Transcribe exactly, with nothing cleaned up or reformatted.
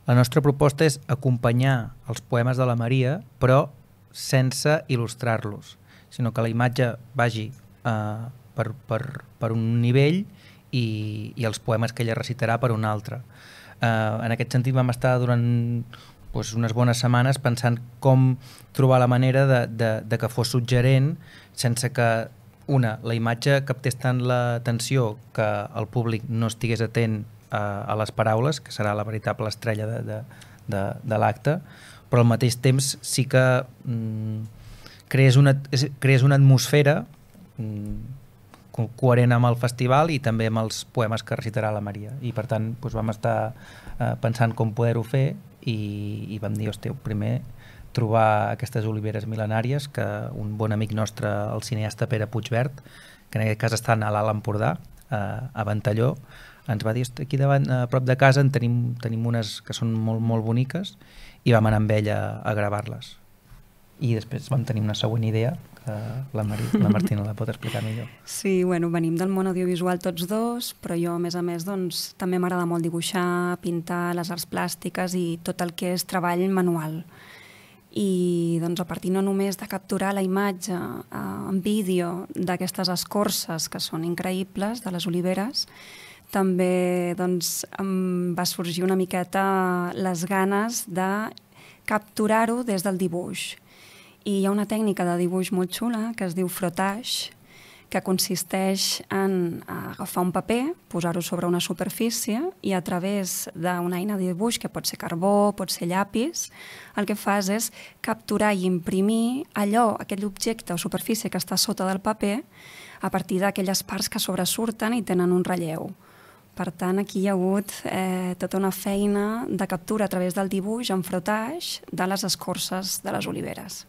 La nostra proposta és acompanyar els poemes de la Maria, però sense il·lustrar-los, sinó que la imatge vagi eh, per, per, per un nivell i, i els poemes que ella recitarà per un altre. Eh, en aquest sentit vam estar durant doncs, unes bones setmanes pensant com trobar la manera de, de, de que fos suggerent sense que, una, la imatge captés tant l'atenció que el públic no estigués atent a, a les paraules, que serà la veritable estrella de, de, de, de l'acte, però al mateix temps sí que mm, crees, una, crees una atmosfera mm, co coherent amb el festival i també amb els poemes que recitarà la Maria. I per tant doncs, vam estar eh, pensant com poder-ho fer i, i vam dir, hòstia, primer trobar aquestes oliveres mil·lenàries que un bon amic nostre, el cineasta Pere Puigvert, que en aquest cas està a l'Alt Empordà, eh, a Ventalló, ens va dir, aquí davant, a prop de casa en tenim, tenim unes que són molt, molt boniques i vam anar amb ella a gravar-les. I després vam tenir una següent idea, que la, Mar la Martina la pot explicar millor. Sí, bueno, venim del món audiovisual tots dos, però jo, a més a més, doncs, també m'agrada molt dibuixar, pintar, les arts plàstiques i tot el que és treball manual. I doncs, a partir no només de capturar la imatge eh, en vídeo d'aquestes escorces que són increïbles, de les oliveres, també doncs, em va sorgir una miqueta les ganes de capturar-ho des del dibuix. I hi ha una tècnica de dibuix molt xula que es diu frottage, que consisteix en agafar un paper, posar-ho sobre una superfície i a través d'una eina de dibuix, que pot ser carbó, pot ser llapis, el que fas és capturar i imprimir allò, aquell objecte o superfície que està sota del paper a partir d'aquelles parts que sobresurten i tenen un relleu. Per tant, aquí hi ha hagut eh, tota una feina de captura a través del dibuix en frottage de les escorces de les oliveres.